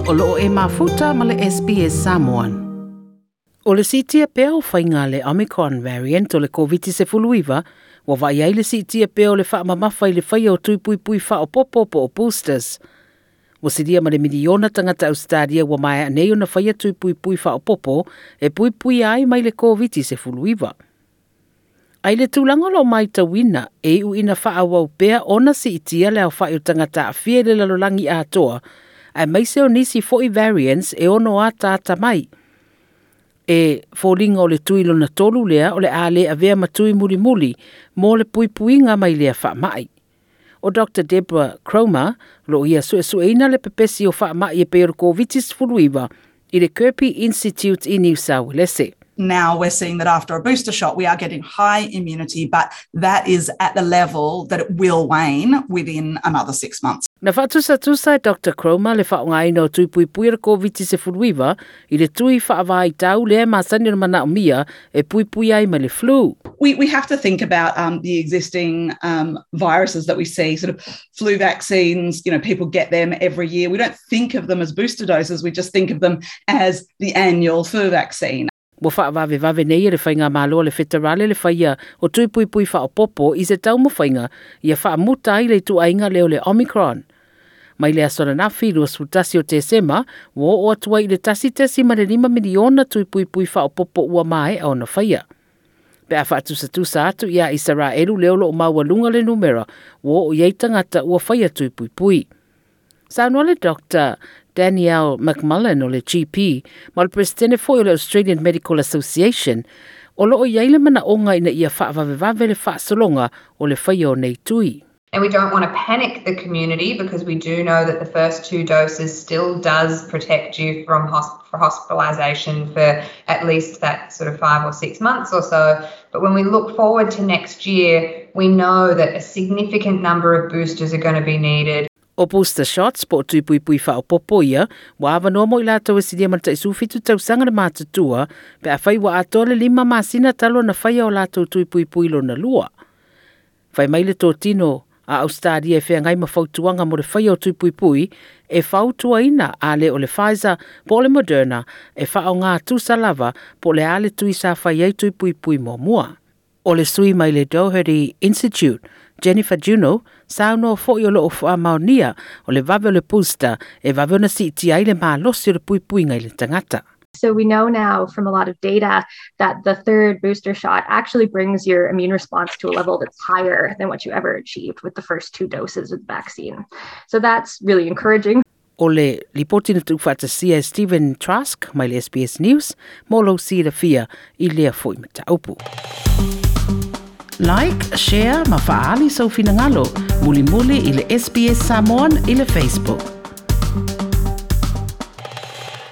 O loo e mafuta ma le SBS Samoan. O le siitia pea o faiga le Omicron variant o le Koviti-19, ua vaai ai le siitia pea o le faamamafa i le faia o tui puipui faaopoopo po o boosters. Ua silia ma le miliona tagata Ausetalia ua maea nei ona faia tui puipui faaopoopo e puipuia ai mai le Koviti-19. Ai le tulaga o lo o matauina e iu ina faaauau pea ona siitia le aofai o tagata aafia i le lalolagi atoa, aemaise o nisi foi variants e ono ataata mai. E foliga o le tui lona tolu lea o le a le avea ma tui mulimuli mo le puipuiga mai lea faamai. O Dr. Deborah Cromer, lo ia suesueina le pepesi o faamai e pei o le Koviti-19 i le Kirby Institute i New South Wales. Now we're seeing that after a booster shot, we are getting high immunity, but that is at the level that it will wane within another 6 months. Na faatusatusa e Dr. Cromer le faaaogaina o tui puipui o le Koviti-19 i le tui faavaitau lea e masani ona manaomia e puipui ai mai le flu. We have to think about the existing viruses that we see, sort of flu vaccines, people get them every year. We don't think of them as booster doses, we just think of them as the annual flu vaccine. Ua faavavevave nei e le faigamalo a le feterale le faia o tui puipui faaopoopo i se taumafaiga ia faamuta ai le ituaiga lea o le Omicron. Mai le aso ananafi 21 o Tesema, ua oo atu ai i le 1.5 miliona tui puipui faaopoopo ua maea ona faia. Pe a faatusatusa atu ia Isaraelu lea o loo maualuga le numera ua oo i ai tagata ua faia tui puipui. Saunoa le Dr. Danielle McMullen o le GP ma le presidente foi o le Australian Medical Association o loo i ai le manaoga ina ia faavavevave le faasologa o le faia o nei tui. And we don't want to panic the community because we do know that the first two doses still does protect you from for hospitalisation for at least that sort of 5 or 6 months or so. But when we look forward to next year, we know that a significant number of boosters are going to be needed. O booster shots po o tui puipui faaopoopo ia, ua avanoa mo i latou e silia ma le tai 17 tausaga le matutua, pe afai ua atoa le 5 masina talu ona faia o latou tui puipui lona lua. Fai mai le totino a Australia e feagai ma fautuaga mo le faia o tui puipui e fautuaina a le o le Pfizer po o le Moderna e faaaoga tusa lava po o le a le tui sa fai ai tui puipui muamua. O le sui mai le Doherty Institute, Jennifer Juno, saunoa foi o loo faamaonia o le vave o le booster e vave ona siitia ai le malosi o le puipuiga i le tagata. So we know now from a lot of data that the third booster shot actually brings your immune response to a level that's higher than what you ever achieved with the first two doses of the vaccine. So that's really encouraging. O le lipoti na tuufaatasia e Stephen Trask mai le SBS News mo lou silafia i lea foi mataupu. Like, share ma faaali sou finagalo. Mulimuli i le SBS Samoan i le Facebook.